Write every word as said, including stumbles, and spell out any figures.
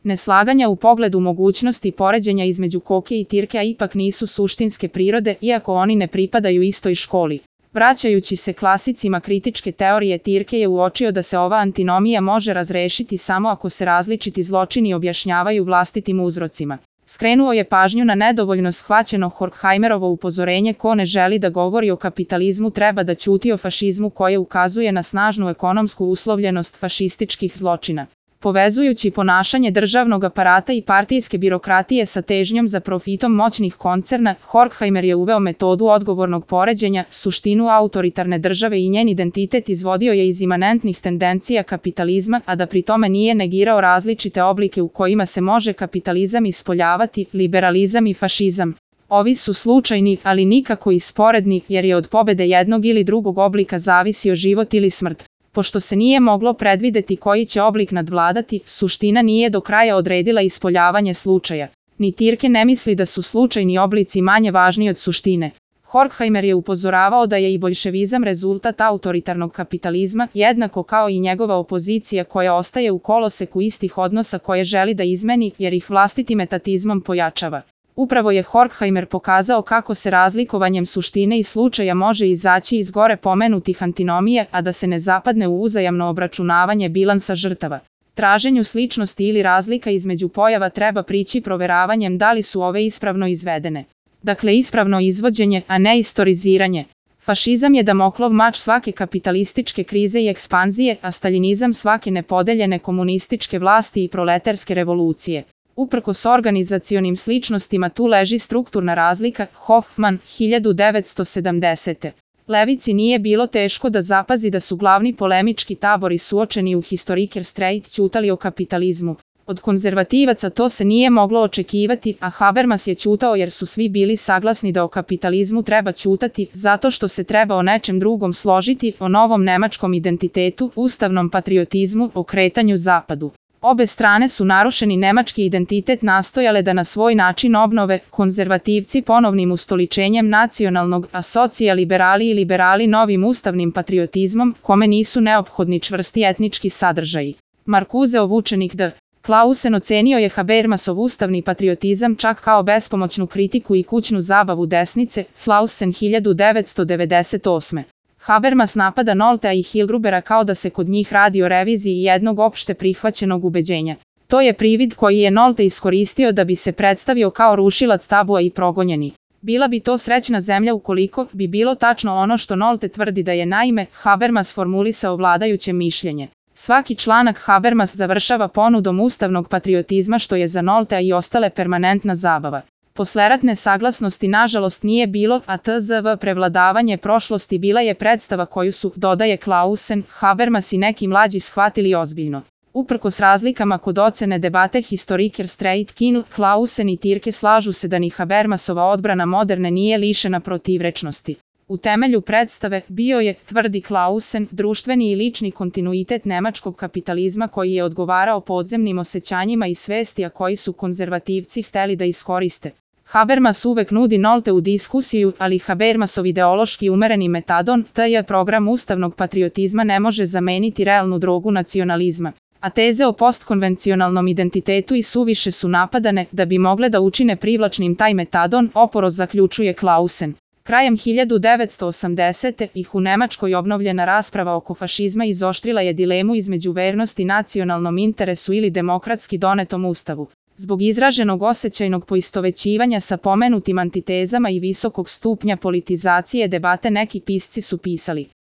Neslaganja u pogledu mogućnosti poređenja između koke i tirke ipak nisu suštinske prirode, iako oni ne pripadaju istoj školi. Vraćajući se klasicima kritičke teorije, Tirke je uočio da se ova antinomija može razrešiti samo ako se različiti zločini objašnjavaju vlastitim uzrocima. Skrenuo je pažnju na nedovoljno shvaćeno Horkheimerovo upozorenje: ko ne želi da govori o kapitalizmu treba da ćuti o fašizmu, koje ukazuje na snažnu ekonomsku uslovljenost fašističkih zločina. Povezujući ponašanje državnog aparata i partijske birokratije sa težnjom za profitom moćnih koncerna, Horkheimer je uveo metodu odgovornog poređenja. Suštinu autoritarne države i njen identitet izvodio je iz imanentnih tendencija kapitalizma, a da pri tome nije negirao različite oblike u kojima se može kapitalizam ispoljavati, liberalizam i fašizam. Ovi su slučajni, ali nikako i sporedni, jer je od pobede jednog ili drugog oblika zavisio život ili smrt. Pošto se nije moglo predvideti koji će oblik nadvladati, suština nije do kraja odredila ispoljavanje slučaja. Ni Tirke ne misli da su slučajni oblici manje važni od suštine. Horkheimer je upozoravao da je i boljševizam rezultat autoritarnog kapitalizma, jednako kao i njegova opozicija koja ostaje u koloseku istih odnosa koje želi da izmeni, jer ih vlastitim etatizmom pojačava. Upravo je Horkheimer pokazao kako se razlikovanjem suštine i slučaja može izaći iz gore pomenutih antinomija, a da se ne zapadne u uzajamno obračunavanje bilansa žrtava. Traženju sličnosti ili razlika između pojava treba prići proveravanjem da li su ove ispravno izvedene. Dakle, ispravno izvođenje, a ne istoriziranje. Fašizam je Damoklov mač svake kapitalističke krize i ekspanzije, a staljinizam svake nepodeljene komunističke vlasti i proletarske revolucije. Uprkos organizacionim sličnostima tu leži strukturna razlika. Hoffman, hiljadu devetsto sedamdesete. Levici nije bilo teško da zapazi da su glavni polemički tabori suočeni u Historiker Streit ćutali o kapitalizmu. Od konzervativaca to se nije moglo očekivati, a Habermas je ćutao jer su svi bili saglasni da o kapitalizmu treba ćutati, zato što se treba o nečem drugom složiti, o novom nemačkom identitetu, ustavnom patriotizmu, o kretanju zapadu. Obe strane su narušeni nemački identitet nastojale da na svoj način obnove, konzervativci ponovnim ustoličenjem nacionalnog, a socijaliberali i liberali novim ustavnim patriotizmom, kome nisu neophodni čvrsti etnički sadržaji. Markuseov učenik D. Clausen ocenio je Habermasov ustavni patriotizam čak kao bespomoćnu kritiku i kućnu zabavu desnice. Clausen, hiljadu devetsto devedeset osme. Habermas napada Noltea i Hilgrubera kao da se kod njih radi o reviziji jednog opšte prihvaćenog ubeđenja. To je privid koji je Nolte iskoristio da bi se predstavio kao rušilac tabua i progonjeni. Bila bi to srećna zemlja ukoliko bi bilo tačno ono što Nolte tvrdi da je. Naime, Habermas formulisao vladajuće mišljenje. Svaki članak Habermas završava ponudom ustavnog patriotizma, što je za Noltea i ostale permanentna zabava. Posleratne saglasnosti nažalost nije bilo, a tzv. Prevladavanje prošlosti bila je predstava koju su, dodaje Clausen, Habermas i neki mlađi shvatili ozbiljno. Uprkos razlikama kod ocene debate Historiker Streit, Kienl, Clausen i Tirke slažu se da ni Habermasova odbrana moderne nije lišena protivrečnosti. U temelju predstave bio je, tvrdi Clausen, društveni i lični kontinuitet nemačkog kapitalizma koji je odgovarao podzemnim osjećanjima i svesti, a koji su konzervativci hteli da iskoriste. Habermas uvek nudi Nolteu diskusiju, ali Habermasov ideološki umereni metadon, taj program ustavnog patriotizma, ne može zameniti realnu drogu nacionalizma. A teze o postkonvencionalnom identitetu i suviše su napadane da bi mogle da učine privlačnim taj metadon, oporoz zaključuje Clausen. Krajem hiljadu devetsto osamdesete. ih u Nemačkoj obnovljena rasprava oko fašizma izoštrila je dilemu između vernosti nacionalnom interesu ili demokratski donetom ustavu. Zbog izraženog osjećajnog poistovećivanja sa pomenutim antitezama i visokog stupnja politizacije debate neki pisci su pisali: